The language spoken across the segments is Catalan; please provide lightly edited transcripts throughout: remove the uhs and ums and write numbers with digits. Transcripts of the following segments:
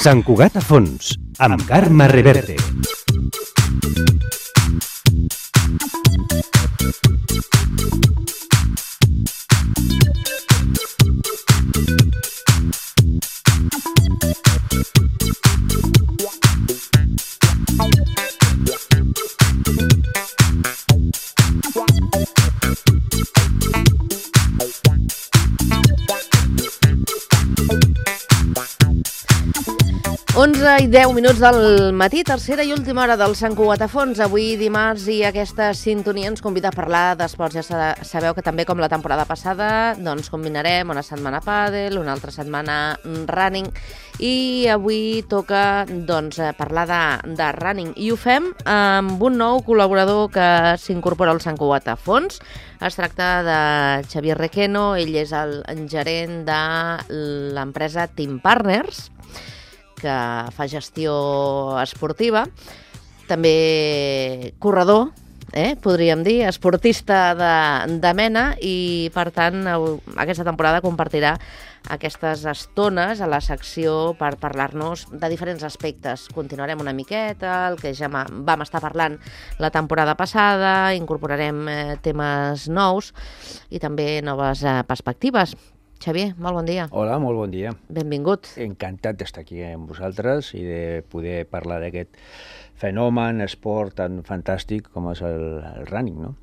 Sant Cugat a fons, amb Carme Reverte. I 10 minuts del matí, tercera i última hora del Sant Cugat a fons. Avui dimarts i aquesta sintonia ens convida a parlar d'esports. Ja sabeu que també com la temporada passada doncs combinarem una setmana pàdel, una altra setmana running i avui toca doncs parlar de running i ho fem amb un nou col·laborador que s'incorpora al Sant Cugat a fons. Es tracta de Xavier Requeno, ell és el gerent de l'empresa Team Partners, que fa gestió esportiva, també corredor, podríem dir, esportista de mena i, per tant, aquesta temporada compartirà aquestes estones a la secció per parlar-nos de diferents aspectes. Continuarem una miqueta, el que ja vam estar parlant la temporada passada, incorporarem temes nous i també noves perspectives. Xavier, molt bon dia. Hola, molt bon dia. Benvingut. Encantat d'estar aquí amb vosaltres i de poder parlar d'aquest fenomen, esport tan fantàstic com és el running, no?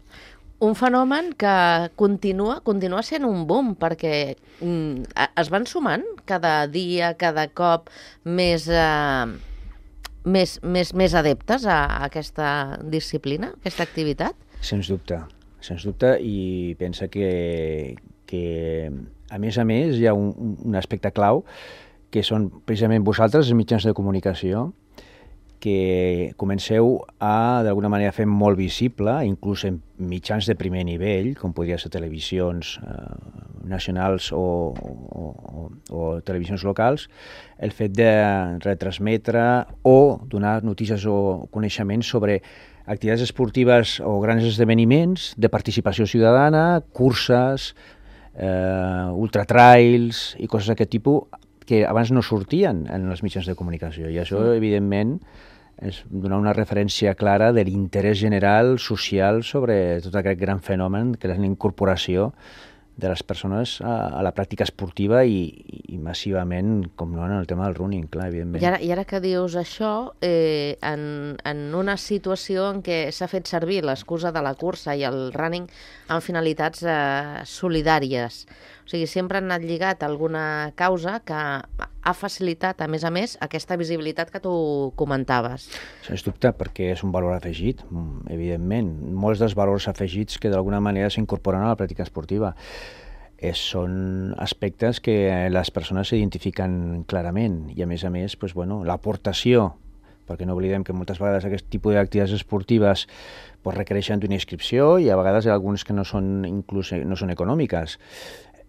Un fenomen que continua sent un boom, perquè es van sumant cada dia, cada cop més adeptes a aquesta disciplina, a aquesta activitat? Sens dubte, i pensa que a més, hi ha un aspecte clau, que són precisament vosaltres, els mitjans de comunicació, que comenceu a, d'alguna manera, fer molt visible, inclús en mitjans de primer nivell, com podria ser televisions nacionals o televisions locals, el fet de retransmetre o donar notícies o coneixements sobre activitats esportives o grans esdeveniments de participació ciutadana, curses, ultratrails i coses d'aquest tipus que abans no sortien en els mitjans de comunicació. I això, evidentment, és donar una referència clara de l'interès general social sobre tot aquest gran fenomen que és la incorporació de les persones a la pràctica esportiva i massivament, com no, en el tema del running, clar, evidentment. I ara que dius això, en una situació en què s'ha fet servir l'excusa de la cursa i el running amb finalitats solidàries, o sigui, sempre han anat lligat a alguna causa que ha facilitat, a més, aquesta visibilitat que tu comentaves. Sens dubte, perquè és un valor afegit, evidentment. Molts dels valors afegits que d'alguna manera s'incorporen a la pràctica esportiva són aspectes que les persones s'identifiquen clarament i, a més, l'aportació, perquè no oblidem que moltes vegades aquest tipus d'activitats esportives requereixen d'una inscripció i a vegades algunes que no són econòmiques.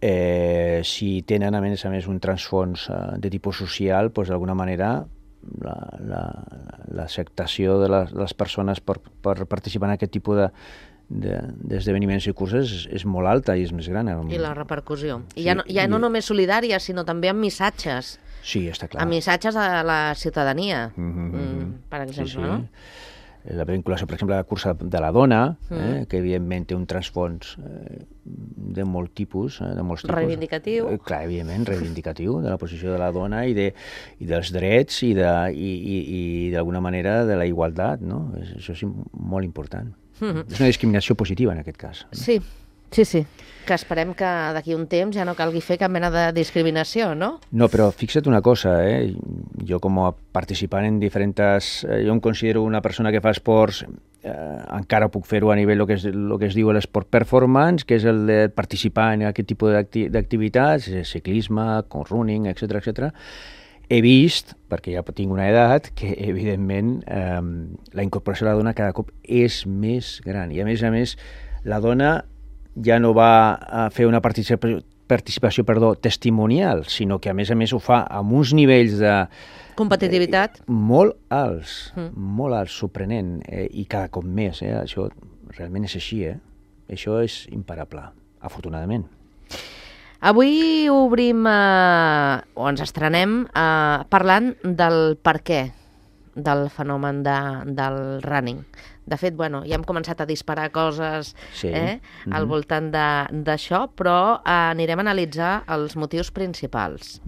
Si tenen, a més, un transfons de tipus social, d'alguna manera l'acceptació de les persones per participar en aquest tipus d'esdeveniments i curses és molt alta i és més gran. I la repercussió. I ja no només solidària, sinó també amb missatges. Sí, està clar. Amb missatges a la ciutadania, per exemple, no? La vinculació, per exemple, a la cursa de la dona, que evidentment té un transfons de molt tipus, reivindicatiu. Clar, evidentment, reivindicatiu de la posició de la dona i dels drets i d'alguna manera de la igualtat, no? Això és molt important. És una discriminació positiva en aquest cas. Sí, que esperem que d'aquí un temps ja no calgui fer cap mena de discriminació, no? No, però fixa't una cosa, jo com a participant en diferents... Jo em considero una persona que fa esports, encara puc fer-ho a nivell el que es diu l'esport performance, que és el de participar en aquest tipus d'activitats, ciclisme, running, etc. He vist, perquè ja tinc una edat, que evidentment la incorporació de la dona cada cop és més gran. I a més, la dona ja no va a fer una participació testimonial, sinó que a més ho fa amb uns nivells de competitivitat molt alts, sorprenent, i cada cop més. Això realment és així, això és imparable, afortunadament. Avui obrim, o ens estrenem, parlant del per què del fenomen del running. De fet, ja hem començat a disparar coses al voltant d'això, però anirem a analitzar els motius principals.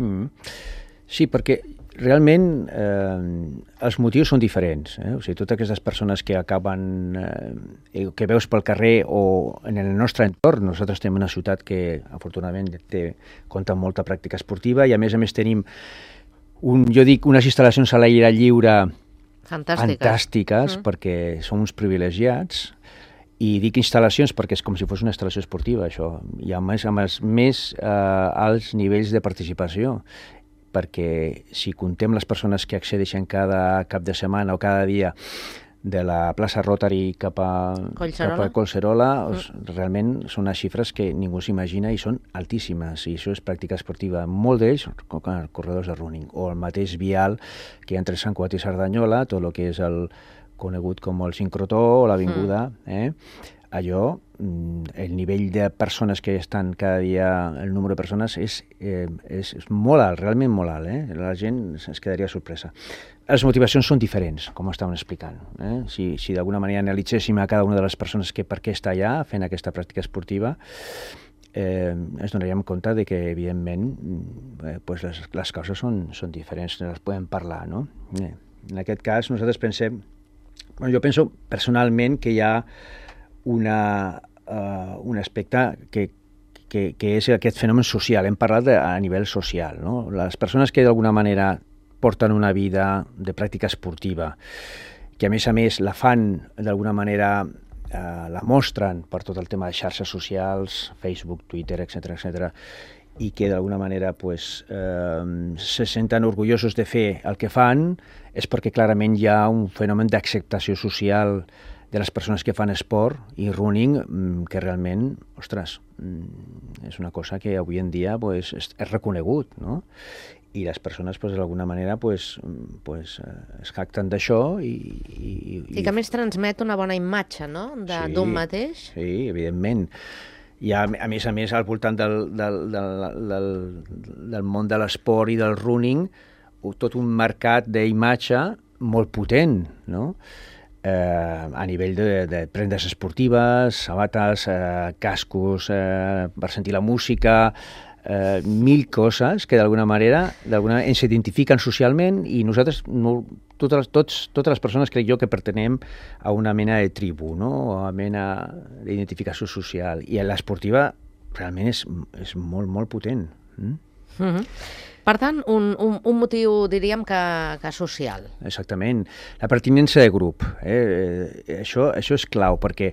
Sí, perquè realment els motius són diferents. O sigui, totes aquestes persones que acaben, que veus pel carrer o en el nostre entorn, nosaltres tenim una ciutat que afortunadament compta amb molta pràctica esportiva i a més tenim unes instal·lacions a l'aire lliure fantàstiques perquè som uns privilegiats, i dic instal·lacions perquè és com si fos una instal·lació esportiva, això, i a més amb els més alts nivells de participació, perquè si contem les persones que accedeixen cada cap de setmana o cada dia de la plaça Rotary cap a Collserola, realment són unes xifres que ningú s'imagina i són altíssimes, i això és pràctica esportiva. Molt d'ells, corredors de running, o el mateix vial que hi ha entre Sant Cugat i Cerdanyola, tot el que és el conegut com el sincrotó o l'avinguda, allò, el nivell de persones que estan cada dia, el número de persones és molt alt, realment molt alt. La gent es quedaria sorpresa. Les motivacions són diferents, com estàvem explicant. Si d'alguna manera analitzéssim a cada una de les persones que per què està allà fent aquesta pràctica esportiva, ens donaríem compte de que, evidentment, les causes són diferents, les podem parlar, no? En aquest cas, nosaltres pensem... Jo penso personalment que hi ha un aspecte que és aquest fenomen social. Hem parlat a nivell social, no? Les persones que d'alguna manera porten una vida de pràctica esportiva, que a més la fan d'alguna manera, la mostren per tot el tema de xarxes socials, Facebook, Twitter, etc., i que d'alguna manera se senten orgullosos de fer el que fan, és perquè clarament hi ha un fenomen d'acceptació social de les persones que fan esport i running que realment, ostres, és una cosa que avui en dia és reconegut, no? I les persones d'alguna manera es jacten d'això i que a més transmet una bona imatge, no?, d'un mateix. Sí, evidentment. Hi ha, a més, al voltant del món de l'esport i del running, tot un mercat d'imatge molt potent, no? A nivell de prendes esportives, sabates, cascos per sentir la música, mil coses que d'alguna manera ens identifiquen socialment, i nosaltres, totes les persones, crec jo, que pertenem a una mena de tribu, no? O a una mena d'identificació social, i l'esportiva realment és molt, molt potent. Per tant, un motiu, diríem, que social. Exactament. La pertinença de grup. Això és clau, perquè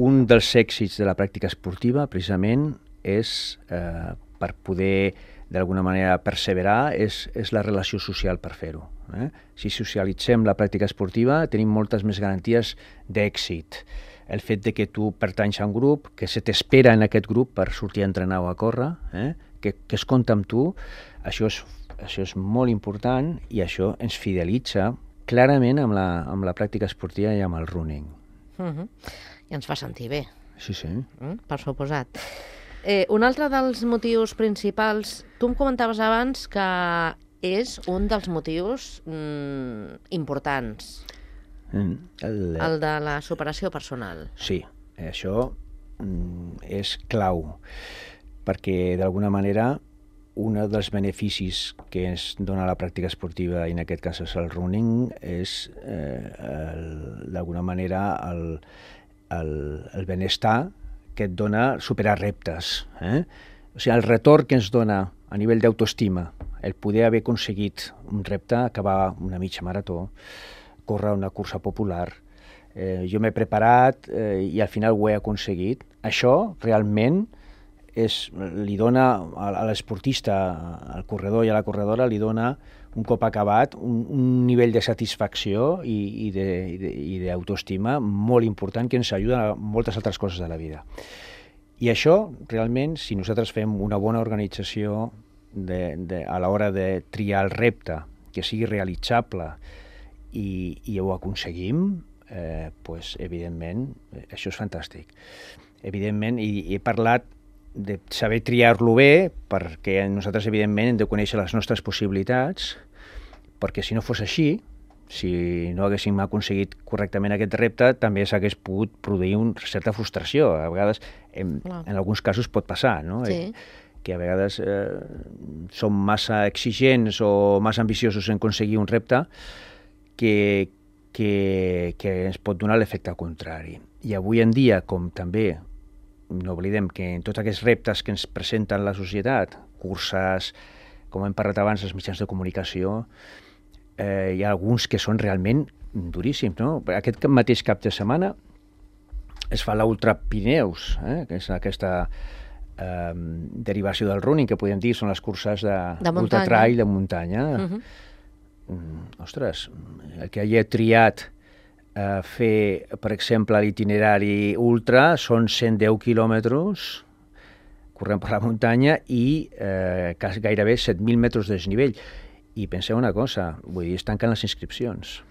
un dels èxits de la pràctica esportiva, precisament, és, per poder, d'alguna manera, perseverar, és la relació social per fer-ho. Si socialitzem la pràctica esportiva, tenim moltes més garanties d'èxit. El fet de que tu pertanys a un grup, que se t'espera en aquest grup per sortir a entrenar o a córrer, que es compta amb tu, això és molt important, i això ens fidelitza clarament amb la pràctica esportiva i amb el running. I ens fa sentir bé. Sí. Per suposat. Un altre dels motius principals, tu em comentaves abans que és un dels motius importants, el de la superació personal. Sí, això és clau, perquè d'alguna manera un dels beneficis que ens dona la pràctica esportiva, i en aquest cas és el running, és d'alguna manera el benestar que et dona superar reptes. O sigui, el retorn que ens dona a nivell d'autoestima, el poder haver aconseguit un repte, acabar una mitja marató, córrer una cursa popular, jo m'he preparat i al final ho he aconseguit. Això realment li dona a l'esportista, al corredor i a la corredora, li dona, un cop acabat, un nivell de satisfacció i d'autoestima molt important, que ens ajuda a moltes altres coses de la vida. I això, realment, si nosaltres fem una bona organització a l'hora de triar el repte, que sigui realitzable, i ho aconseguim, evidentment, això és fantàstic. Evidentment, i he parlat de saber triar-lo bé, perquè nosaltres, evidentment, hem de conèixer les nostres possibilitats, perquè si no fos així, si no haguéssim aconseguit correctament aquest repte, també s'hagués pogut produir una certa frustració. A vegades, en alguns casos pot passar, no? Sí. Que a vegades som massa exigents o massa ambiciosos en aconseguir un repte que ens pot donar l'efecte contrari. I avui en dia, com també no oblidem que en tots aquests reptes que ens presenten la societat, curses, com hem parlat abans, els mitjans de comunicació, hi ha alguns que són realment duríssims, no? Aquest mateix cap de setmana es fa l'Ultra Pirineus, que és aquesta derivació del running, que podem dir, són les curses d'ultra trail de muntanya. Ostres, el que hagi triat fer, per exemple, l'itinerari ultra són 110 quilòmetres corrent per la muntanya i gairebé 7.000 metres de desnivell. I penseu una cosa, vull dir, es tanquen les inscripcions.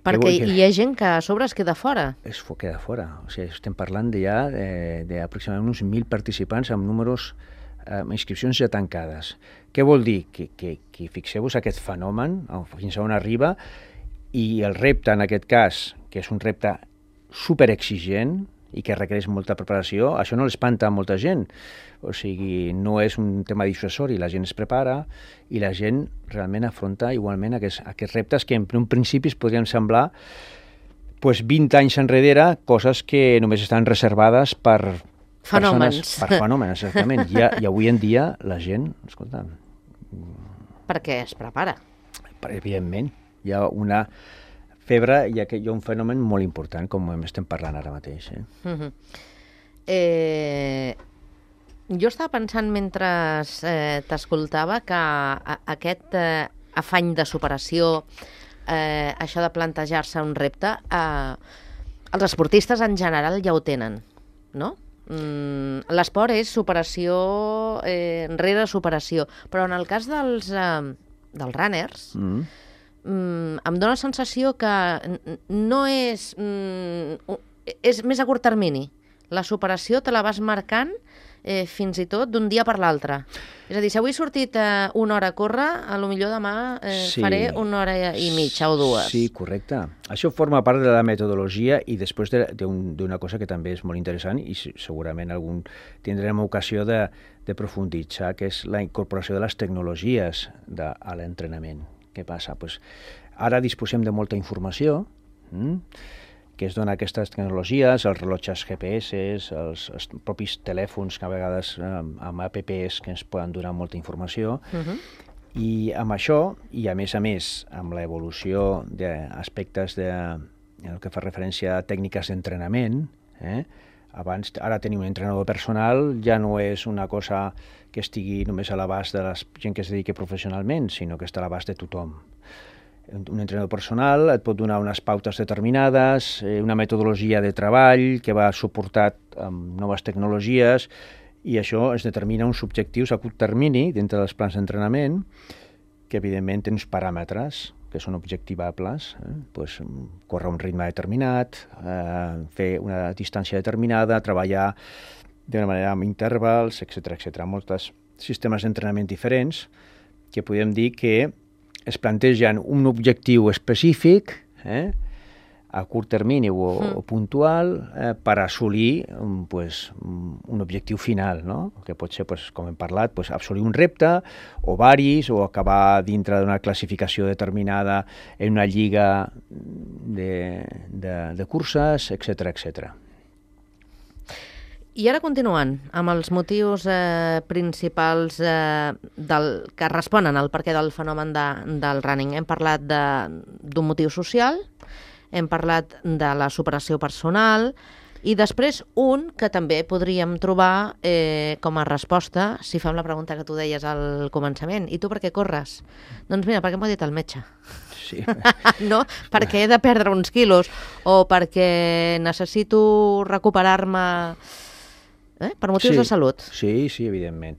Perquè hi ha gent que a sobre es queda fora. Es queda fora. O sigui, estem parlant ja d'aproximadament uns 1.000 participants amb números, inscripcions ja tancades. Què vol dir? Que fixeu-vos aquest fenomen, fins a on arriba, i el repte, en aquest cas, que és un repte superexigent i que requereix molta preparació, això no l'espanta a molta gent. O sigui, no és un tema dissuasori, la gent es prepara i la gent realment afronta igualment aquests reptes que en un principi es podrien semblar 20 anys enrere, coses que només estan reservades per fenòmens. Per fenòmens, exactament. I avui en dia la gent, escolta... Perquè es prepara. Evidentment, hi ha una febre, hi ha un fenomen molt important, com estem parlant ara mateix. Jo estava pensant mentre t'escoltava que aquest afany de superació, això de plantejar-se un repte, els esportistes en general ja ho tenen, no? L'esport és superació rere superació, però en el cas dels runners em dóna la sensació que no és... és més a curt termini. La superació te la vas marcant fins i tot d'un dia per l'altre. És a dir, si avui he sortit una hora a córrer, potser demà faré una hora i mitja o dues. Sí, correcte. Això forma part de la metodologia i després d'una cosa que també és molt interessant i segurament tindrem ocasió de profunditzar, que és la incorporació de les tecnologies a l'entrenament. Què passa? Ara disposem de molta informació, que es dona aquestes tecnologies, els rellotges GPS, els propis telèfons que a vegades amb apps que ens poden donar molta informació, i amb això, i a més, amb l'evolució d'aspectes el que fa referència a tècniques d'entrenament, ara tenir un entrenador personal ja no és una cosa que estigui només a l'abast de la gent que es dediqui professionalment, sinó que està a l'abast de tothom. Un entrenador personal et pot donar unes pautes determinades, una metodologia de treball que va suportat amb noves tecnologies, i això es determina uns objectius a curt termini dintre dels plans d'entrenament, que evidentment tenen uns paràmetres que són objectivables, córrer un ritme determinat, fer una distància determinada, treballar d'una manera amb intervals, etc. Molts sistemes d'entrenament diferents que podem dir que es plantegen un objectiu específic a curt termini o puntual per assolir un objectiu final, no? Que pot ser, com hem parlat, assolir un repte o varis, o acabar dintre d'una classificació determinada en una lliga de curses, etc. I ara continuant amb els motius principals que responen al perquè del fenomen del running. Hem parlat d'un motiu social, hem parlat de la superació personal i després un que també podríem trobar com a resposta si fem la pregunta que tu deies al començament. I tu per què corres? Doncs mira, perquè m'ho ha dit el metge. Sí. No? Perquè he de perdre uns quilos o perquè necessito recuperar-me per motius de salut. Sí, evidentment.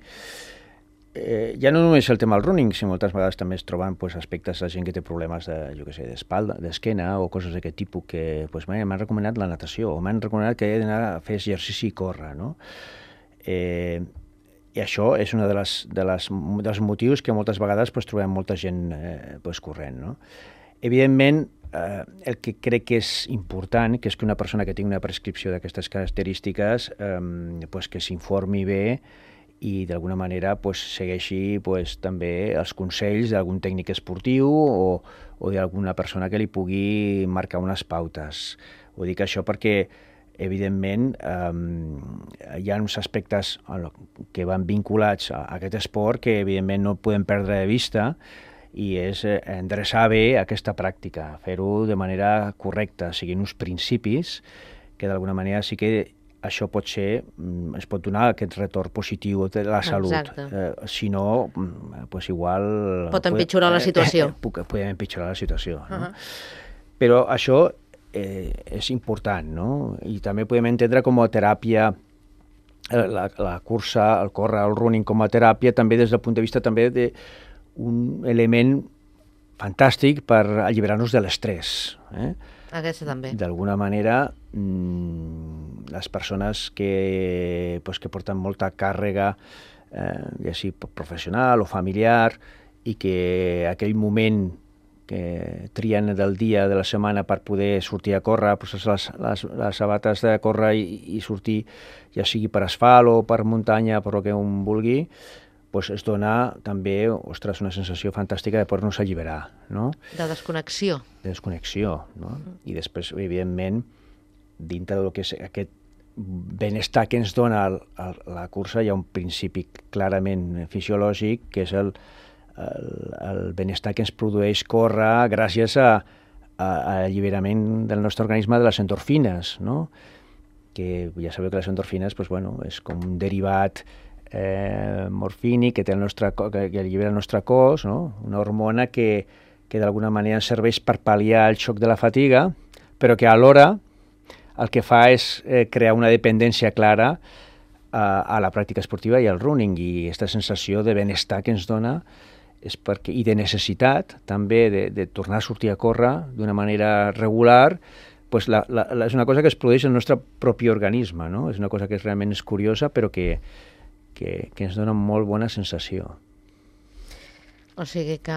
Ja no només el tema del running, sinó moltes vegades també es troben aspectes de gent que té problemes d'espalda, d'esquena o coses d'aquest tipus que m'han recomanat la natació o m'han recomanat que he d'anar a fer exercici i córrer, no? I això és un dels motius que moltes vegades trobem molta gent corrent. No? Evidentment, el que crec que és important, que és que una persona que tingui una prescripció d'aquestes característiques que s'informi bé i d'alguna manera segueixi també els consells d'algun tècnic esportiu o d'alguna persona que li pugui marcar unes pautes. Ho dic això perquè evidentment, hi ha uns aspectes que van vinculats a aquest esport que, evidentment, no podem perdre de vista i és endreçar bé aquesta pràctica, fer-ho de manera correcta, seguint uns principis que, d'alguna manera, sí que això es pot donar aquest retorn positiu de la salut. Si no, igual... Pot empitjorar la situació. Podem empitjorar la situació. No? Però això és important, no? I també podem entendre com a teràpia la cursa, el córrer, el running com a teràpia, també des del punt de vista també d'un element fantàstic per alliberar-nos de l'estrès. Aquesta també. D'alguna manera, les persones que porten molta càrrega, ja sigui professional o familiar, i que aquell moment que trien del dia, de la setmana, per poder sortir a córrer, les sabates de córrer i sortir, ja sigui per asfalt o per muntanya, per el que un vulgui, es dona també, una sensació fantàstica de poder-nos alliberar, no? De desconnexió. De desconnexió, no? I després, evidentment, dintre del que és aquest benestar que ens dona la cursa, hi ha un principi clarament fisiològic, que és el benestar que ens produeix córrer gràcies a l'alliberament del nostre organisme de les endorfines, no? Que ja sabeu que les endorfines és com un derivat morfínic que allibera el nostre cos, no? Una hormona que d'alguna manera ens serveix per pal·liar el xoc de la fatiga, però que alhora el que fa és crear una dependència clara a la pràctica esportiva i al running, i aquesta sensació de benestar que ens dona i de necessitat també de tornar a sortir a córrer d'una manera regular, és una cosa que es produeix en el nostre propi organisme, no? És una cosa que realment és curiosa, però que ens dona molt bona sensació. O sigui que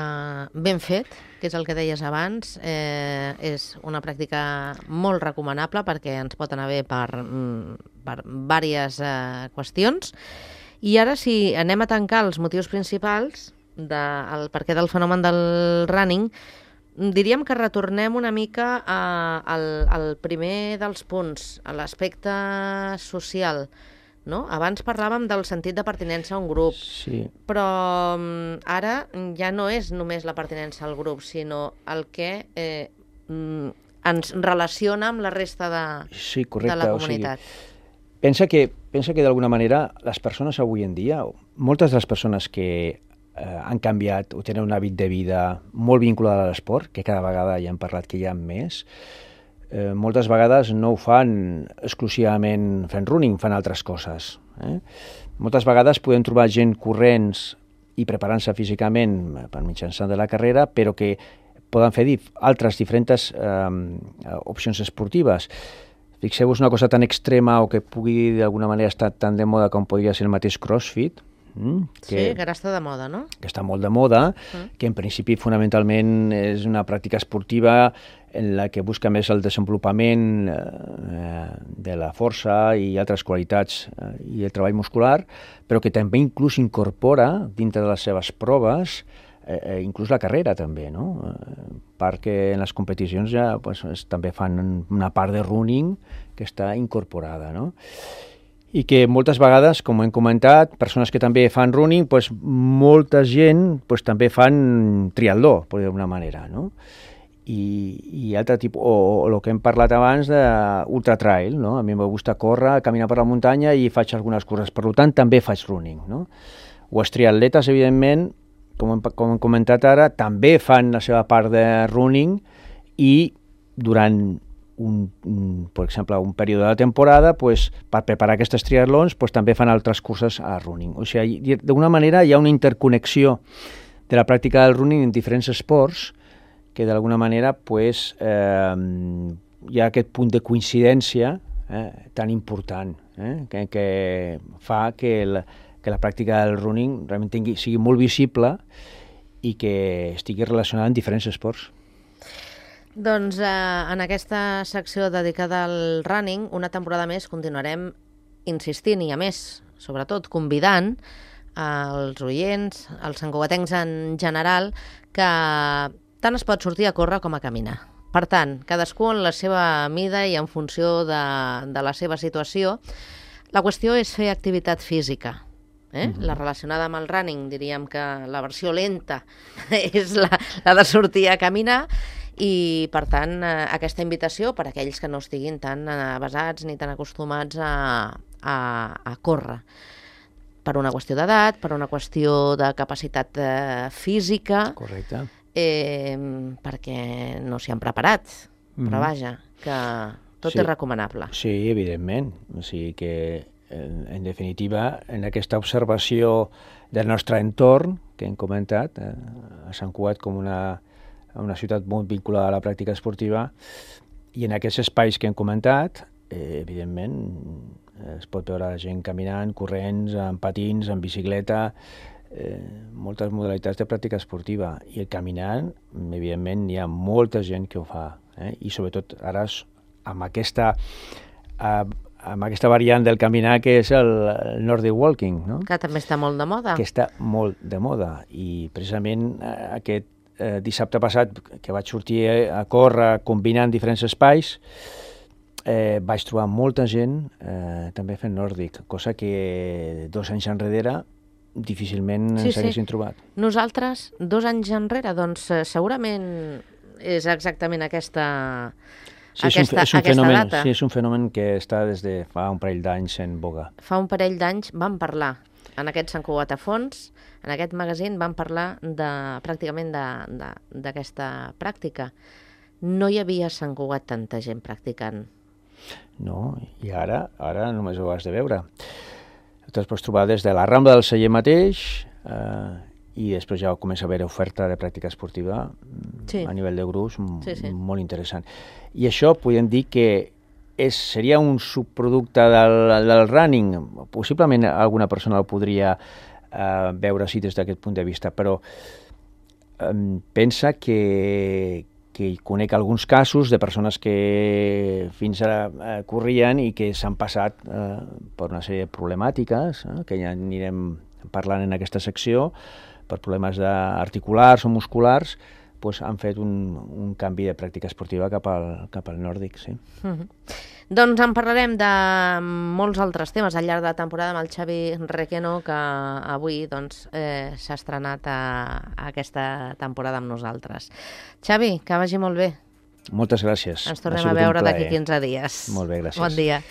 ben fet, que és el que deies abans, és una pràctica molt recomanable perquè ens pot anar bé per diverses qüestions. I ara, si anem a tancar els motius principals del perquè del fenomen del running, diríem que retornem una mica al primer dels punts, a l'aspecte social, no? Abans parlàvem del sentit de pertinença a un grup, sí. Però ara ja no és només la pertinença al grup, sinó el que ens relaciona amb la resta de la comunitat. Pensa que d'alguna manera les persones avui en dia, moltes de les persones que han canviat o tenen un hàbit de vida molt vinculat a l'esport, que cada vegada ja hem parlat que hi ha més, moltes vegades no ho fan exclusivament fent running, fan altres coses. Moltes vegades podem trobar gent corrents i preparant-se físicament per mitjançant de la carrera, però que poden fer altres diferents opcions esportives. Fixeu-vos una cosa tan extrema o que pugui d'alguna manera estar tan de moda com podria ser el mateix CrossFit, que ara està de moda, no? Que està molt de moda, que en principi fonamentalment és una pràctica esportiva en la que busca més el desenvolupament de la força i altres qualitats i el treball muscular, però que també inclús incorpora dintre de les seves proves inclús la carrera també, no? Perquè en les competicions ja també fan una part de running que està incorporada, no? I que moltes vegades, com hem comentat, persones que també fan running, molta gent també fan triatló, per dir d'alguna manera, no? I altre tipus, o el que hem parlat abans d'ultra trail, no? A mi em gusta córrer, caminar per la muntanya i faig algunes curses, per tant també faig running, no? O els triatletes, evidentment, com hem comentat ara, també fan la seva part de running i durant per exemple, un període de temporada, per preparar aquestes triatlons, també fan altres curses a running. O sigui, d'alguna manera hi ha una interconnexió de la pràctica del running en diferents esports que d'alguna manera hi ha aquest punt de coincidència tan important, que fa que la pràctica del running realment sigui molt visible i que estigui relacionada amb diferents esports. Doncs en aquesta secció dedicada al running, una temporada més continuarem insistint i, a més, sobretot, convidant als oients, als santcugatencs en general, que tant es pot sortir a córrer com a caminar. Per tant, cadascú en la seva mida i en funció de la seva situació. La qüestió és fer activitat física. La relacionada amb el running, diríem que la versió lenta és la de sortir a caminar, i, per tant, aquesta invitació per a aquells que no estiguin tan avesats ni tan acostumats a córrer. Per una qüestió d'edat, per una qüestió de capacitat física. Correcte. Perquè no s'hi han preparat. Però vaja, que tot és recomanable. Sí, evidentment. O sigui que, en definitiva, en aquesta observació del nostre entorn, que hem comentat, a Sant Cugat com una ciutat molt vinculada a la pràctica esportiva, i en aquests espais que hem comentat, evidentment, es pot veure gent caminant, corrents, amb patins, amb bicicleta, moltes modalitats de pràctica esportiva. I el caminant, evidentment, hi ha molta gent que ho fa. I sobretot ara amb aquesta variant del caminar que és el Nordic Walking, no? Que també està molt de moda. Que està molt de moda. I precisament aquest dissabte passat, que vaig sortir a córrer combinant diferents espais, vaig trobar molta gent també fent nòrdic, cosa que 2 anys enrere difícilment ens haguessin trobat. Nosaltres, 2 anys enrere, doncs segurament és exactament aquesta data. Sí, és un fenomen que està des de fa un parell d'anys en boga. Fa un parell d'anys vam parlar en aquest Sant Cugat a fons, en aquest magazín vam parlar pràcticament d'aquesta pràctica. No hi havia a Sant Cugat tanta gent practicant. No, i ara només ho has de veure. Te'ls pots trobar des de la Rambla del Celler mateix i després ja comença a haver oferta de pràctica esportiva a nivell de grups molt interessant. I això podem dir que seria un subproducte del running. Possiblement alguna persona el podria veure així des d'aquest punt de vista, però pensa que conec alguns casos de persones que fins ara corrien i que s'han passat per una sèrie de problemàtiques, que ja anirem parlant en aquesta secció, per problemes articulars o musculars, doncs han fet un canvi de pràctica esportiva cap al nòrdic, sí. Doncs en parlarem de molts altres temes al llarg de la temporada amb el Xavi Requeno, que avui s'ha estrenat a aquesta temporada amb nosaltres. Xavi, que vagi molt bé. Moltes gràcies. Ens tornem a veure d'aquí 15 dies. Molt bé, gràcies. Bon dia.